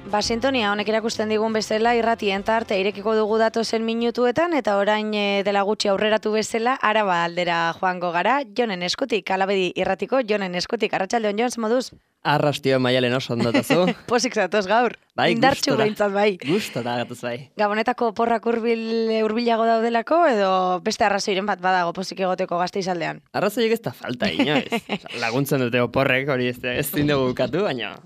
Sintonia honek erakusten digun bezala irratien tarte irekiko dugu datozen minutuetan eta orain dela gutxi aurreratu bezala Araba aldera joango gara. Jonen eskutik, Alabedi irratiko Jonen eskutik. Arratsaldeon Jon, moduz? Arrastio Maialen oso ondatazu. Posik zatoz gaur. Bai, indartxu behintzat bai. Gustora gatuz bai. Gabonetako porrak hurbilago daudelako edo beste arrazoiren bat badago posik egoteko Gasteizaldean? Arrazoiek ez da falta inoiz. Laguntzen dute oporrek hori ez zindugu bukatu, baina...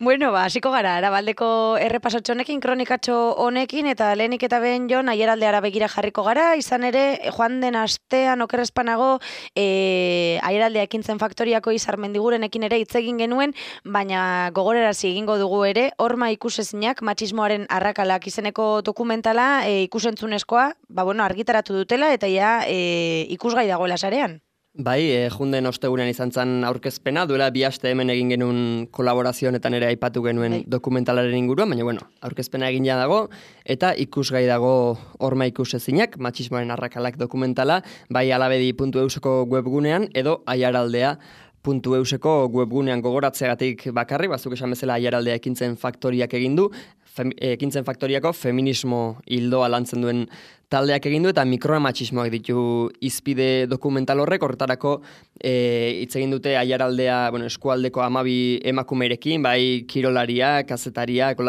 Bueno, hasiko gara, Arabaldeko errepasotxo honekin, kronikatxo honekin, eta lehenik eta behin Jon, Aieraldeara begira jarriko gara, izan ere, joan den astean okerrezpanago, Aieraldea ekintzen faktoriako Izarmendigurenekin ere hitz egin genuen, baina gogorarazi egingo dugu ere, horma ikusezinak, matxismoaren arrakalak izeneko dokumentala ikusentzunezkoa, argitaratu dutela, eta ja ikusgai dagoela sarean. Bai, junden ostegunean izan zen aurkezpena, duela 2 aste hemen egin genuen kolaborazio honetan ere aipatu genuen dokumentalaren inguruan, baina aurkezpena egin ja dago, eta ikusgai dago horma ikusezinak, matxismoaren arrakalak dokumentala, bai alabedi.euseko webgunean, edo aiaraldea.euseko webgunean gogoratzeagatik bakarri, bazuk esan bezala Aiaraldea ekintzen faktoriak egin du, ekintzen faktoriako feminismo hildoa lantzen duen taldeak egin du eta mikromatxismoak ditu izpide dokumental horretarako hitz egin dute Aiaraldea, eskualdeko 12 emakumerekin, bai kirolariak, kazetariak,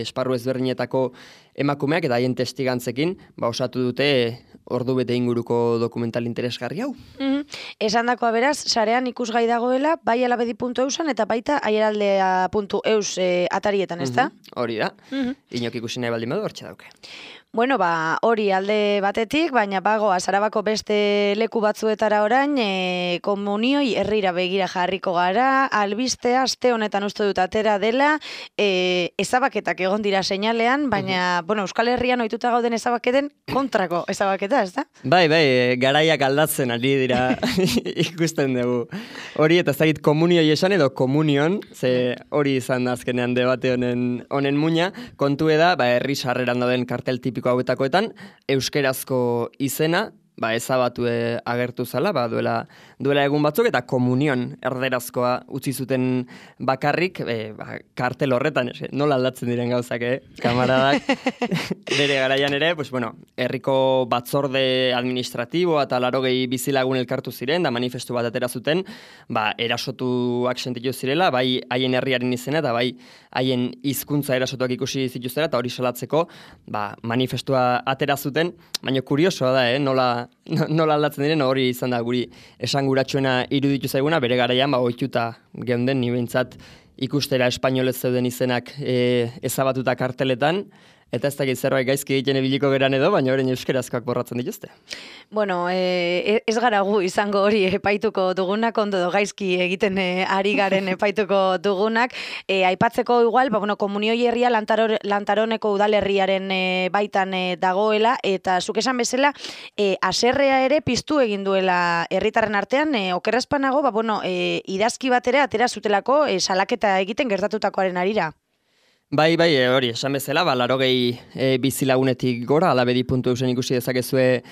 esparru ezberdinetako emakumeak eta haien testigantzekin, osatu dute ordu bete inguruko dokumental interesgarri hau. Esandakoa beraz, sarean ikusgai dagoela, bai alabedi.eusan eta baita aiaraldea.eus atarietan, ez da? Hori da. Inok ikusi nahi baldin badu, hortxe dauke. Bueno, hori alde batetik, baina bagoa Arabako beste leku batzuetara orain, komunioi herrira begira jarriko gara, albistea aste honetan uste dut atera dela, ezabaketak egon dira seinalean, baina, Euskal Herrian ohituta gauden ezabaketen kontrako ezabaketa, ez da? Bai, garaiak aldatzen ari dira ikusten dugu. Hori eta ez dakit komunioi esan edo komunion, ze hori izan da azkenean debate honen muina, kontu da, herri sarreran dauden kartel tipiko hauetakoetan, euskerazko izena, ezabatu agertu zala, duela egun batzuk, eta komunion erderazkoa utzi zuten bakarrik, kartel horretan, nola aldatzen diren gauzak, kamaradak, bere garaian ere, herriko batzorde administratibo eta 80 bizilagun elkartu ziren, da manifestu bat atera zuten, erasotuak sentitu zirela, bai haien herriaren izena, eta bai haien hizkuntza erasotuak ikusi zituztera, eta hori salatzeko, manifestua atera zuten, baina kuriosoa da, nola aldatzen diren, hori izan da guri esanguratsuena iruditu zaiguna, bere garaian ohituta geunden ni behintzat ikustera espainolez zeuden izenak ezabatuta karteletan, eta ez dakit zerbait gaizki egiten ibiliko geran edo, baina orain euskerazkoak borratzen dituzte. Ez gara gu izango hori epaituko dugunak, ondo gaizki egiten ari garen epaituko dugunak. Aipatzeko igual, komunioi herria Lantaroneko udalerriaren baitan dagoela, eta zuk esan bezala, haserrea ere piztu egin duela herritarren artean, okerrezpanago, idazki bat ere atera zutelako salaketa egiten gertatutakoaren arira. Bai, hori, esan bezala, 80 bizilagunetik gora, alabedi.eusen ikusi dezakezue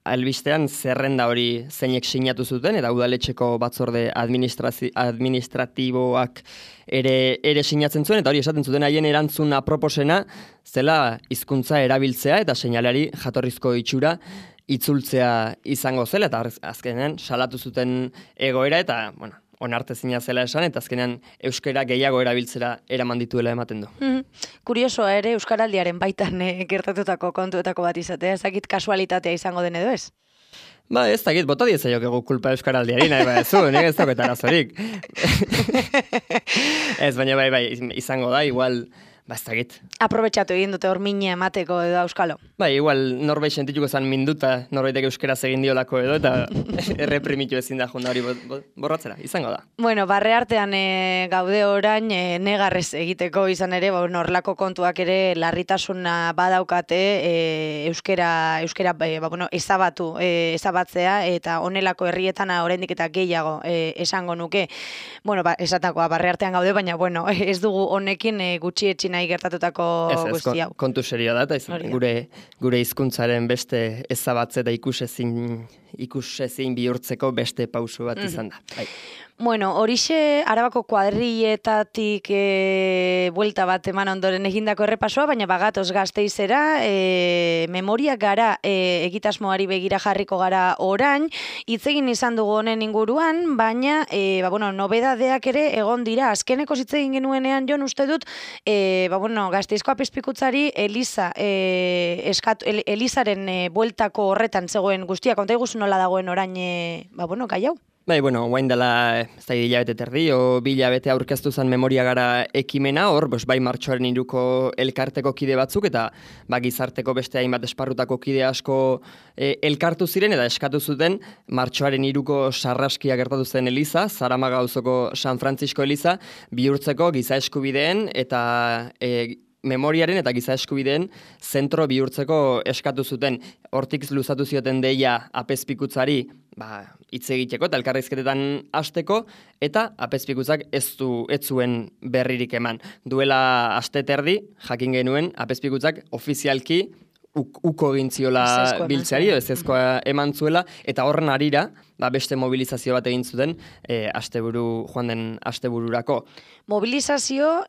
albistean zerrenda hori zeinek sinatu zuten, eta udaletxeko batzorde administratiboak ere sinatzen zuen, eta hori esaten zuten haien erantzun aproposena, zela hizkuntza erabiltzea eta seinaleari jatorrizko itxura itzultzea izango zela, eta azkenean salatu zuten egoera, eta, onartezina zela esan, eta azkenean euskara gehiago erabiltzera eraman dituela ematen du. Kuriosoa ere euskaraldiaren baitan gertatutako kontuetako bat izatea, ezakit kasualitatea izango den edo ez? Ez dakit, bota diezaiok kulpa euskaraldiari, nahi ez dago eta arazorik. Ez, baina izango da, igual, ez dakit. Aprobetxatu egin dute hor mina emateko edo euskalo. Igual norbait sentituko zan minduta, norbaitek euskeraz egin diolako edo, eta erreprimitu ezin da junda hori borratzera, izango da. Barre artean gaude orain negarrez egiteko izan ere, horrelako kontuak ere larritasuna badaukate euskera ezabatzea, eta honelako herrietan oraindik eta gehiago esango nuke. Esatakoa, barre artean gaude, baina ez dugu honekin gutxietxi nahi gertatutako guzti hau. Kontu serio da, eta gure hizkuntzaren beste ezabatze eta ikusezin bihurtzeko beste pauso bat izan da. Bueno, horixe Arabako kuadrilletatik buelta bat eman ondoren egindako errepasoa, baina bagatoz Gasteizera, memoria gara egitasmoari begira jarriko gara orain, hitz egin izan dugu honen inguruan, baina nobedadeak ere egon dira. Azkeneko hitz egin genuenean Jon uste dut, Gasteizko apezpikutzari Elizaren bueltako horretan zegoen guztia, konta iguzu nola dagoen orain, gai hau? Bai, guain dela, ez da hilabete terdi, o 2 hilabete aurkeztu zen memoria gara ekimena, hor, bai martxoaren 3ko elkarteko kide batzuk, eta gizarteko beste hainbat esparrutako kide asko elkartu ziren, eta eskatu zuten martxoaren 3ko sarraskia gertatu zen Eliza, Zaramaga auzoko San Francisco Eliza, bihurtzeko giza eskubideen eta memoriaren eta giza eskubideen zentro bihurtzeko eskatu zuten. Hortik luzatu zioten deia apezpikutzari hitz egiteko eta elkarrizketetan hasteko, eta apezpikutzak ez zuen berririk eman. Duela aste terdi, jakin genuen, apezpikutzak ofizialki uko egin ziola biltzeari, ezezkoa eman zuela, eta horren harira, beste mobilizazio bat egin zuten joan den astebururako. Mobilizazio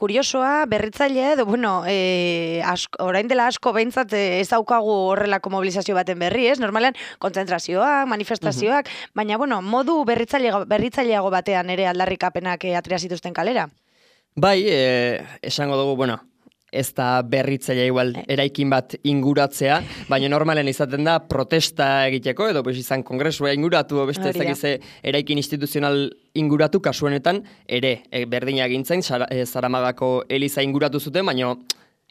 kuriosoa, berritzailea, edo, orain dela asko behintzat ez daukagu horrelako mobilizazio baten berri, ez? Normalean, kontzentrazioak, manifestazioak, baina, modu berritzaileago batean ere aldarrikapenak atera zituzten kalera. Bai, esango dugu, ez da berritzailea igual eraikin bat inguratzea, baina normalen izaten da protesta egiteko, edo izan kongresua inguratu, beste ezakize eraikin instituzional inguratu, kasuenetan ere berdina gintzen, Zaramagako Eliza inguratu zuten, baina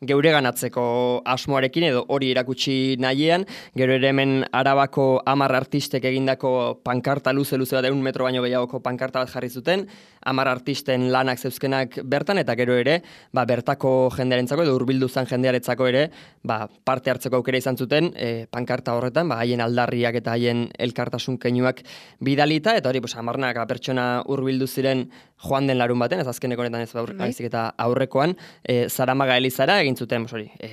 geure ganatzeko asmoarekin edo hori erakutsi nahiean, gero ere hemen Arabako 10 artistek egindako pankarta luze bat 1 metro baino gehiagoko pankarta bat jarri zuten, 10 artisten lanak zeuzkenak bertan, eta gero ere, bertako jendearentzako edo hurbildu zen jendearentzako ere, parte hartzeko aukera izan zuten, pankarta horretan, haien aldarriak eta haien elkartasun keinuak bidalita, eta hori, 10 pertsona hurbildu ziren joan den larun baten, ez azkeneko honetan ez baizik eta aurrekoan, Zaramaga Elizara egin zuten,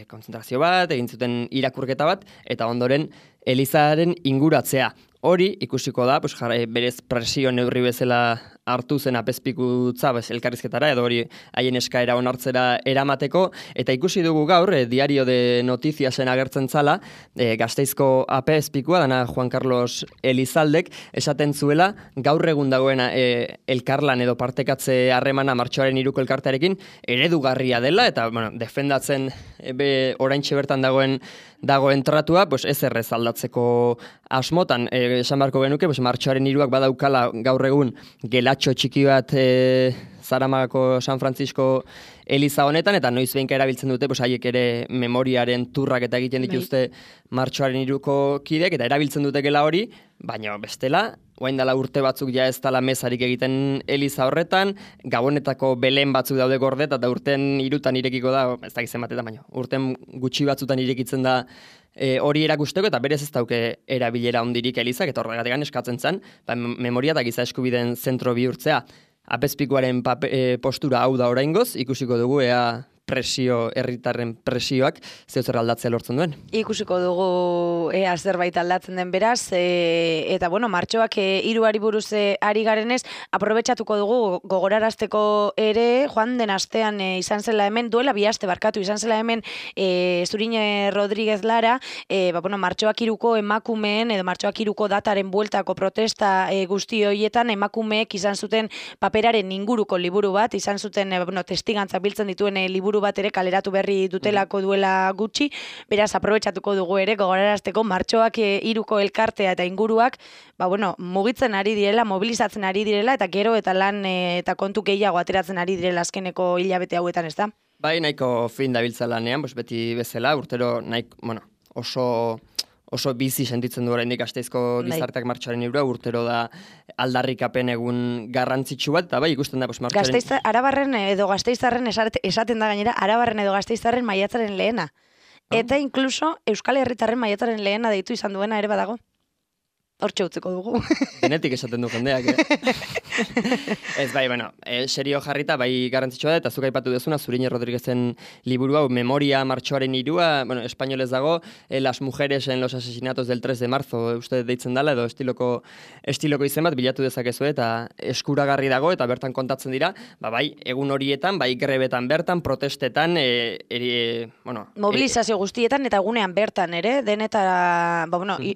konzentrazio bat, egin zuten irakurketa bat, eta ondoren Elizaren inguratzea. Hori ikusiko da, berez presio neurri bezala hartu zen apezpikutza elkarrizketara, edo hori haien eskaera onartzera eramateko, eta ikusi dugu gaur, Diario de Notiziasen agertzen zala, Gasteizko apezpikua, dana Juan Carlos Elizaldek, esaten zuela, gaur egun dagoen elkarlan edo partekatze harremana martxoaren 3ko elkartearekin eredugarria dela, eta defendatzen oraintxe bertan dagoen tratua, ez errez aldatzeko asmotan, esan barko genuke, martxoaren 3ak badaukala gaur egun gelatxo txiki bat Zaramagako San Francisco Eliza honetan, eta noiz behinka erabiltzen dute, haiek ere memoriaren turrak eta egiten dituzte martxoaren 3ko kideek, eta erabiltzen dute gela hori, baina bestela, orain dela urte batzuk ja ez dela mezarik egiten Eliza horretan, Gabonetako Belen batzuk daude gordet, eta urten 3tan irekiko da, ez da gizien batetan, baina urten gutxi batzutan irekitzen da hori erakusteko, eta berez ez dauke erabilera hondirik Elizak, eta horregatik eskatzen zen, memoria eta giza eskubideen zentro bihurtzea. Apezpikuaren postura hau da oraingoz, ikusiko dugu ea herritarren presioak zer aldatzea lortzen duen. Ikusiko dugu ea zerbait aldatzen den beraz, eta martxoak 3ari buruz ari garenez, aprobetxatuko dugu gogorarazteko ere, joan den astean izan zela hemen, duela 2 aste barkatu izan zela hemen Zurine Rodríguez Lara, martxoak 3ko emakumeen, edo martxoak 3ko dataren bueltako protesta guzti horietan, emakumeek izan zuten paperaren inguruko liburu bat, izan zuten testigantzak biltzen dituen liburu bat ere kaleratu berri dutelako duela gutxi, beraz aprobetxatuko dugu ere gogorarazteko martxoak 3ko elkartea eta inguruak mugitzen ari direla, mobilizatzen ari direla, eta gero eta lan eta kontu gehiago ateratzen ari direla azkeneko hilabete hauetan, ez da? Bai, nahiko fin dabiltza lanean, beti bezala, urtero oso bizi sentitzen du oraindik Gasteizko gizarteak martxoaren 3, urtero da aldarrikapen egun garrantzitsu bat, eta bai ikusten da martxoaren... Arabarren edo Gasteiztarren esaten da gainera, Arabarren edo Gasteiztarren maiatzaren lehena. Eta inkluso Euskal Herritarren maiatzaren lehena deitu izan duena ere badago. hortxe utziko dugu. Denetik esaten du jendeak, Ez, bai, bueno, serio jarrita, bai garrantzitsua da, eta zuk aipatu dezuna, Zurine Rodríguezen liburu hau, Memoria martxoaren 3, bueno, espainolez dago, Las mujeres en los asesinatos del 3 de marzo, uste deitzen dela, edo estiloko izen bat bilatu dezakezu, eta eskuragarri dago, eta bertan kontatzen dira, bai, egun horietan, bai grebetan bertan, protestetan, mobilizazio guztietan, eta egunean bertan ere, denetara,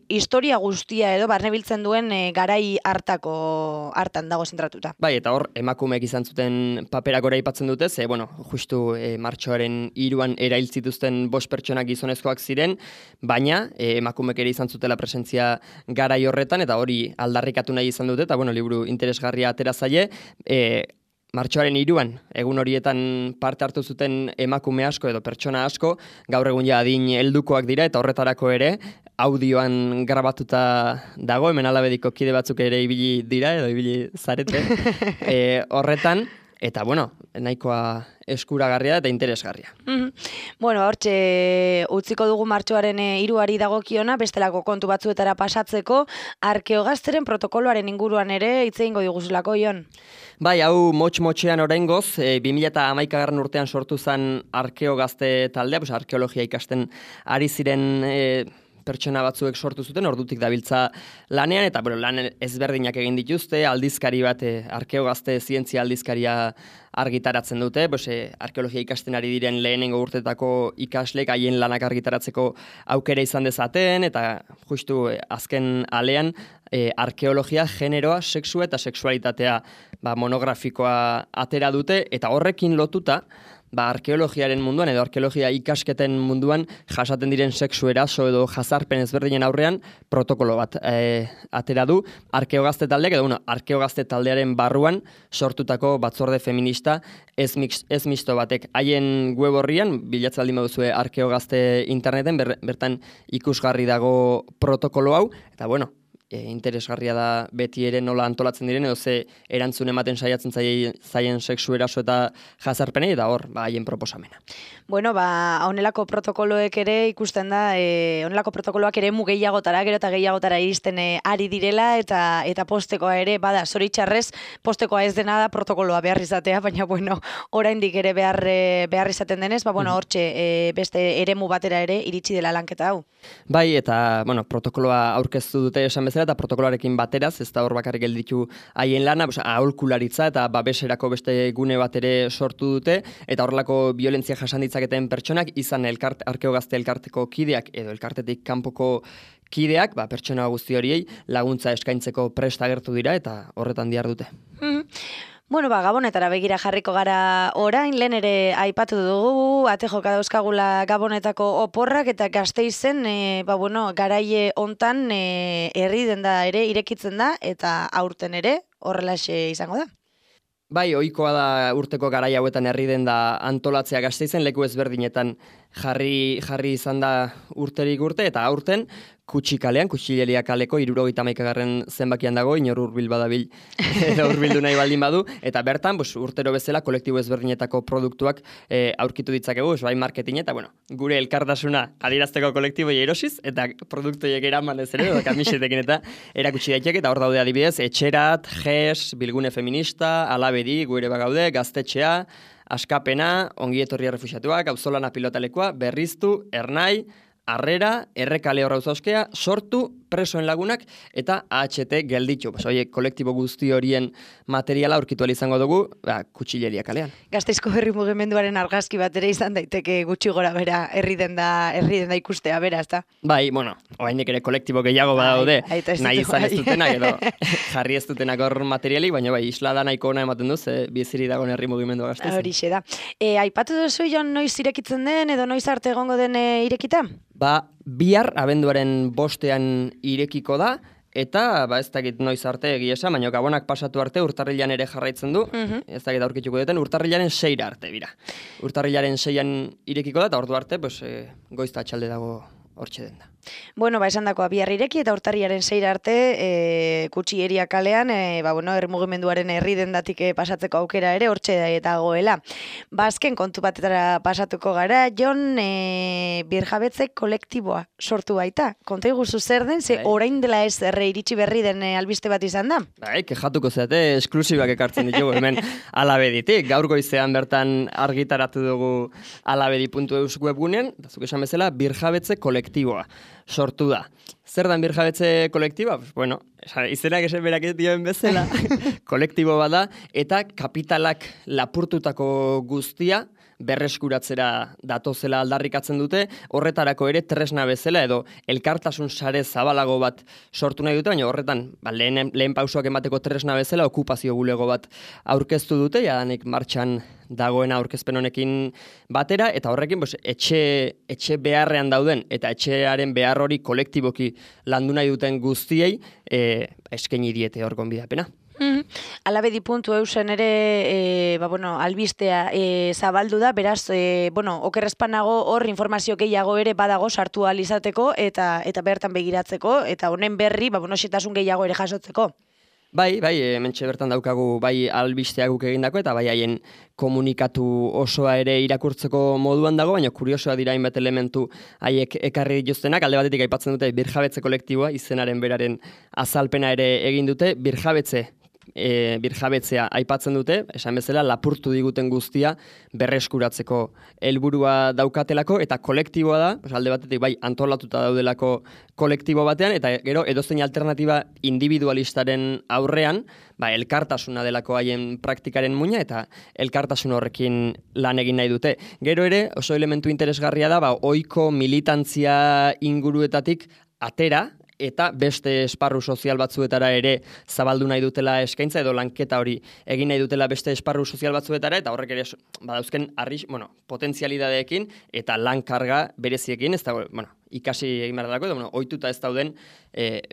historia guztia edo, barne biltzen duen garai hartan dago zentratuta. Bai, eta hor, emakumeek izan zuten paperak ora aipatzen dute, ze, justu martxoaren 3 erail zituzten 5 pertsonak gizonezkoak ziren, baina emakumeek ere izan zutela presentzia garai horretan, eta hori aldarrikatu nahi izan dute, eta liburu interesgarria atera zaie, martxoaren 3 egun horietan parte hartu zuten emakume asko edo pertsona asko, gaur egun ja adin heldukoak dira, eta horretarako ere, audioan grabatuta dago, hemen alabediko kide batzuk ere ibili dira, edo ibili zarete, horretan, eta nahikoa eskuragarria eta interesgarria. Hortxe utziko dugu martxoaren 3 dagokiona, bestelako kontu batzuetara pasatzeko, Arkeogazteren protokoloaren inguruan ere hitz egingo diguzulako, Jon. Bai, hau motx-motxean oraingoz, 2011 urtean sortu zen Arkeogazte taldea, arkeologia ikasten ari ziren pertsona batzuek sortu zuten, ordutik dabiltza lanean, eta lan ezberdinak egin dituzte, aldizkari bat, Arkeogazte zientzia aldizkaria argitaratzen dute, arkeologia ikasten ari diren lehenengo urtetako ikaslek haien lanak argitaratzeko aukera izan dezaten, eta justu azken alean, arkeologia, generoa, sexua eta sexualitatea monografikoa atera dute, eta horrekin lotuta, arkeologiaren munduan edo arkeologia ikasketen munduan jasaten diren sexu eraso edo jazarpen ezberdinen aurrean protokolo bat atera du Arkeogazte taldeak edo Arkeogazte taldearen barruan sortutako batzorde feminista ez misto batek. Haien web horrian, bilatzen baldin baduzue Arkeogazte interneten, bertan ikusgarri dago protokolo hau, eta interesgarria da beti ere nola antolatzen diren, edo ze erantzun ematen saiatzen zaien sexu eraso eta jazarpenei, eta hor, haien proposamena. Honelako protokoloek ere ikusten da, honelako protokoloak ere gehiagotara, gero eta gehiagotara iristen ari direla, eta postekoa ere, zoritxarrez, postekoa ez dena da protokoloa behar izatea, baina, oraindik ere behar izaten denez, hortxe beste eremu batera ere iritsi dela lanketa hau. Bai, eta, protokoloa aurkeztu dute esan bezala, eta protokoloarekin bateraz, ez da hor bakarrik gelditu haien lana, aholkularitza eta babeserako beste gune bat ere sortu dute, eta horrelako violentzia jasan ditzaketen pertsonak, izan Arkeogazte elkarteko kideak edo elkartetik kanpoko kideak, pertsona guzti horiei laguntza eskaintzeko prest agertu dira, eta horretan dihar dute. Gabonetara begira jarriko gara orain, lehen ere aipatu dugu, ate joka dauzkagula Gabonetako oporrak, eta Gasteizen, garaie hontan herri denda ere irekitzen da, eta aurten ere horrelaxe izango da. Bai, ohikoa da urteko garai hauetan herri denda antolatzea Gasteizen, leku ezberdinetan jarri izan da urterik urte, eta aurten Kutxikalean, Kutxileria kaleko 71. zenbakian dago, inor hurbil badabil edo hurbildu nahi baldin badu, eta bertan urtero bezala kolektibo ezberdinetako produktuak aurkitu ditzakegu, bai marketing eta gure elkartasuna adierazteko kolektiboi erosiz, eta produktoiek eraman ez ere, kamisetekin eta erakutsi daiteke, eta hor daude adibidez, Etxerat, GES, Bilgune Feminista, Alabedi, gure bagaude, Gaztetxea, Askapena, Ongietorri Errefuxiatuak, Auzolana Pilotalekua, Berriztu, Ernai, Arrera, Errekale Horrauzauzkea, Sortu, Presoen Lagunak eta AHT gelditu. Kolektibo guzti horien materiala aurkitu izango dugu Kutxileria kalean. Gasteizko herri mugimenduaren argazki bat ere izan daiteke gutxi gora bera herri denda ikustea, bera, ezta? Bai, oraindik ere kolektibo gehiago badaude, nahi izan ez dutenak edo jarri ez dutenak hor materialik, baina isla da nahiko ona ematen duz, biziri dagoen herri mugimendua Gasteizen. Horixe da. Aipatu duzu, Jon, noiz irekitzen den edo noiz arte egongo den irekita? Bihar abenduaren 5ean irekiko da, eta ez dakit noiz arte egia esan, baina Gabonak pasatu arte urtarrilan ere jarraitzen du, ez dakit aurkituko duten, urtarrilaren 6 arte, bira. Urtarrilaren 6an irekiko da, eta ordu arte, goizta atxalde dago hortxe den da. Bueno, esan dakoa bihar ireki eta urtarriaren 6 arte Kutxieria kalean, mugimenduaren herri dendatik pasatzeko aukera ere hortxe dagoela. Azken kontu batetara pasatuko gara, Jon, birjabetze kolektiboa sortu baita. Konta iguzu zer den, ze orain dela ez iritsi berri den albiste bat izan da? Kejatuko zeate, esklusibak ekartzen ditugu hemen Alabeditik. Gaur goizean bertan argitaratu dugu alabedi.eus webgunean, eta zuk esan bezala, birjabetze kolektiboa sortu da. Zer da birjabetze kolektiboa? Bueno, izenak esan berak ez dioen bezala, kolektibo bada, eta kapitalak lapurtutako guztia berreskuratzera datozela aldarrikatzen dute, horretarako ere tresna bezala edo elkartasun sare zabalago bat sortu nahi dute, baina horretan lehen pausoak emateko tresna bezala okupazio bulego bat aurkeztu dute, jadanik martxan dagoena aurkezpen honekin batera, eta horrekin etxe beharrean dauden eta etxearen behar hori kolektiboki landu nahi duten guztiei eskaini diete hor gonbidapena. Alabedi.eusen ere albistea zabaldu da, beraz, okerrezpanago hor informazio gehiago ere badago sartu ahal izateko eta bertan begiratzeko, eta honen berri, xetasun gehiago ere jasotzeko. Bai, hementxe bertan daukagu bai albisteak guk egindako eta bai haien komunikatu osoa ere irakurtzeko moduan dago, baina kuriosoa dira hainbat elementu haiek ekarri dituztenak. Alde batetik aipatzen dute birjabetze kolektiboa, izenaren beraren azalpena ere egin dute, birjabetzea aipatzen dute, esan bezala lapurtu diguten guztia berreskuratzeko helburua daukatelako, eta kolektiboa da, alde batetik bai antolatuta daudelako kolektibo batean, eta gero edozein alternatiba individualistaren aurrean, elkartasuna delako haien praktikaren muina, eta elkartasun horrekin lan egin nahi dute. Gero ere, oso elementu interesgarria da, ohiko militantzia inguruetatik atera, eta beste esparru sozial batzuetara ere zabaldu nahi dutela eskaintza, edo lanketa hori egin nahi dutela beste esparru sozial batzuetara, eta horrek ere badauzken potentzialidadeekin eta lankarga bereziekin, ez da, ikasi egin behar dalako, edo ohituta ez dauden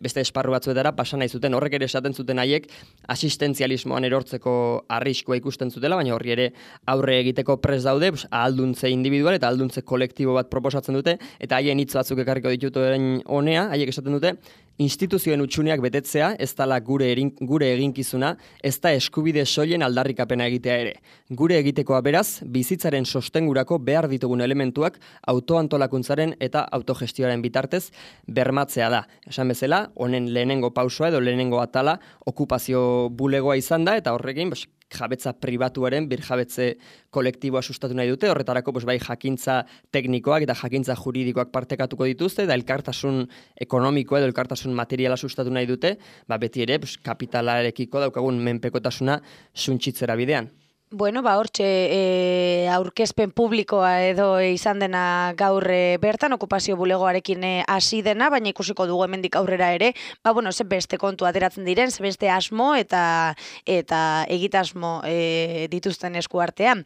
beste esparru batzuetara pasa nahi zuten. Horrek ere esaten zuten haiek asistentzialismoan erortzeko arriskua ikusten zutela, baina horri ere aurre egiteko prest daude, ahalduntze individual eta ahalduntze kolektibo bat proposatzen dute, eta haien hitz batzuk ekarriko dituten honea, haiek esaten dute, instituzioen utxuneak betetzea ez dela gure eginkizuna, ez da eskubide soilen aldarrikapena egitea ere. Gure egitekoa beraz, bizitzaren sostengurako behar ditugun elementuak autoantolakuntzaren eta autogestioaren bitartez bermatzea da. Esan bezala, honen lehenengo pausoa edo lehenengo atala okupazio bulegoa izan da, eta horrekin jabetza pribatuaren birjabetze kolektiboa sustatu nahi dute, horretarako bai jakintza teknikoak eta jakintza juridikoak partekatuko dituzte, eta elkartasun ekonomikoa edo elkartasun materiala sustatu nahi dute, beti ere kapitalarekiko daukagun menpekotasuna suntsitzera bidean. Hortxe aurkezpen publikoa edo izan dena gaur bertan, okupazio bulegoarekin hasi dena, baina ikusiko dugu hemendik aurrera ere, ze beste kontu ateratzen diren, ze beste asmo eta egitasmo dituzten esku artean.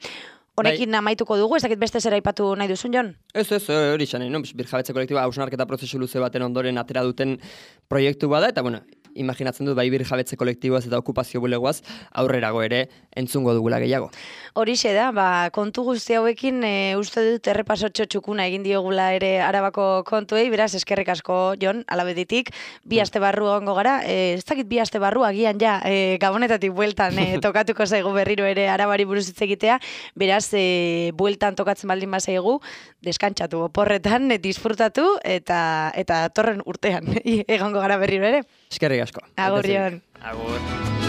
Honekin amaituko dugu, ez dakit beste zera aipatu nahi duzun, Jon? Ez, hori izan, birjabetze kolektiboa hausnarketa prozesu luze baten ondoren atera duten proiektu bada, eta imaginatzen dut bai birjabetze kolektiboaz eta okupazio bulegoaz aurrerago ere entzungo dugula gehiago. Horixe da, kontu guzti hauekin uste dut errepasotxo txukuna egin diogula ere Arabako kontuei, beraz eskerrik asko, Jon, Alabeditik, 2 aste barru egongo gara, ez dakit 2 aste barru agian Gabonetatik bueltan tokatuko zaigu berriro ere Arabari buruz hitz egitea, beraz bueltan tokatzen baldin bazaigu, deskantxatu oporretan, disfrutatu eta torren urtean egongo gara berriro ere. Eskerrik asko. Agur, Jon. Agur.